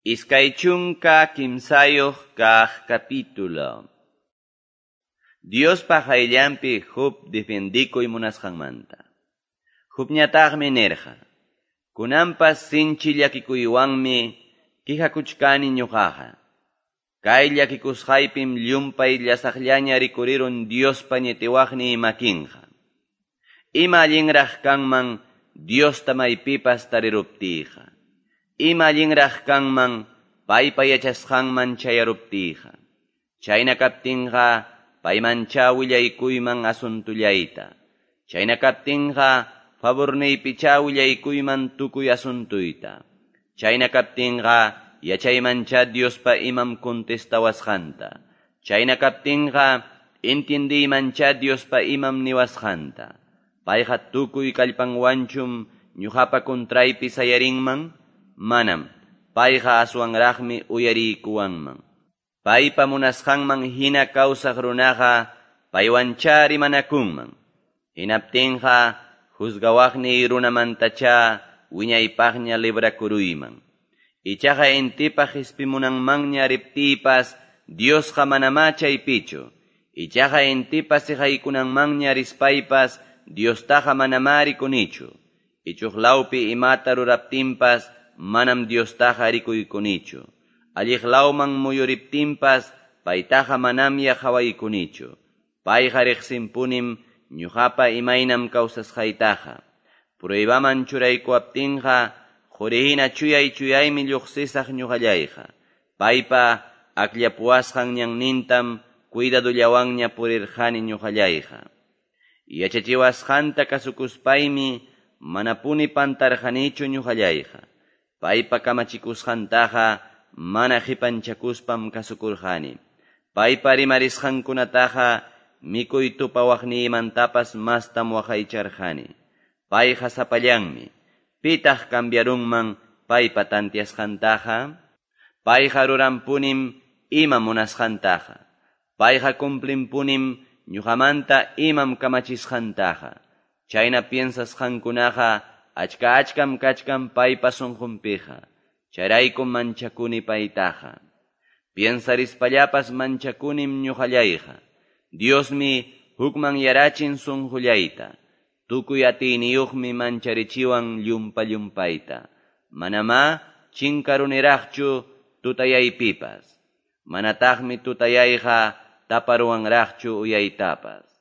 23 kaq capítulo. Diospa qayllanpi Job defiendikuy munasqanmanta. Jobñataqmi nirqa: Kunanpas sinchi llakikuywanmi quejakuchkani ñuqaqa. Kay llakikusqaypim llumpay llasaqllaña rikurirun Diospa ñitiwaqniy makinqa. Ima allinraq kanman Diosta maypipas tariruptiyqa. Ima allinraq kanman paypa yachasqanman chayaruptiyqa. Chayna kaptinqa paymanchá willaykuyman asuntullayta. Chayna kaptinqa favurniypichá willaykuyman tukuy asuntuyta. Chayna kaptinqa yachaymanchá Diospa imam contestawasqanta. Chayna kaptinqa entiendiymanchá Diospa imam niwasqanta. Payqa tukuy kallpanwanchum ñuqapa contraypi sayarinman? Manam. Payqa aswanraqmi uyariykuwanman. Paypa munasqanman hina kawsaq runaqa paywanchá rimanakunman. Hinaptinqa juzgawaqniy runamantachá wiñaypaqña librakuruyman. Ichaqa intipa qispimunanmanña riptiypas Diosqa manamá chaypichu. Ichaqa intipa siqaykunanmanña rispaypas Diostaqa manamá rikunichu. Ichuq lawpi imata ruraptinpas manam Diostaqa rikuykunichu. Alliq lawman muyuriptinpas paytaqa manamya qawaykunichu. Payqa riqsinpunim ñuqapa imaynam kawsasqaytaqa. Pruebaman churaykuwaptinqa qurihina chuyay chuyaymi lluqsisaq ñuqallayqa. Paypa akllapuwasqan ñannintam cuidadullawanña purirqani ñuqallayqa. Yachachiwasqanta kasukuspaymi manapuni pantarqanichu ñuqallayqa. Paypa kamachikusqantaqa mana qipanchakuspam kasukurqani. Paypa rimarisqankunataqa mikuy tupawaqniymantapas mastam waqaycharqani. Payqa sapallanmi. Pitaq cambiarunman paypa tantiasqantaqa? Payqa ruranpunim ima munasqantaqa. Payqa cumplinpunim ñuqamanta imam kamachisqantaqa. Chayna piensasqankunaqa achka achkam kachkan paypa sunqunpiqa. Chayraykum manchakuni paytaqa. Piensarispallapas manchakunim ñuqallayqa. Diosmi hukman yarachin sunqullayta. Tukuy atiyniyuqmi mancharichiwan llumpa llumpayta. Manamá chinkaruniraqchu tutayaypipas. Manataqmi tutayayqa taparuwanraqchu uyaytapas.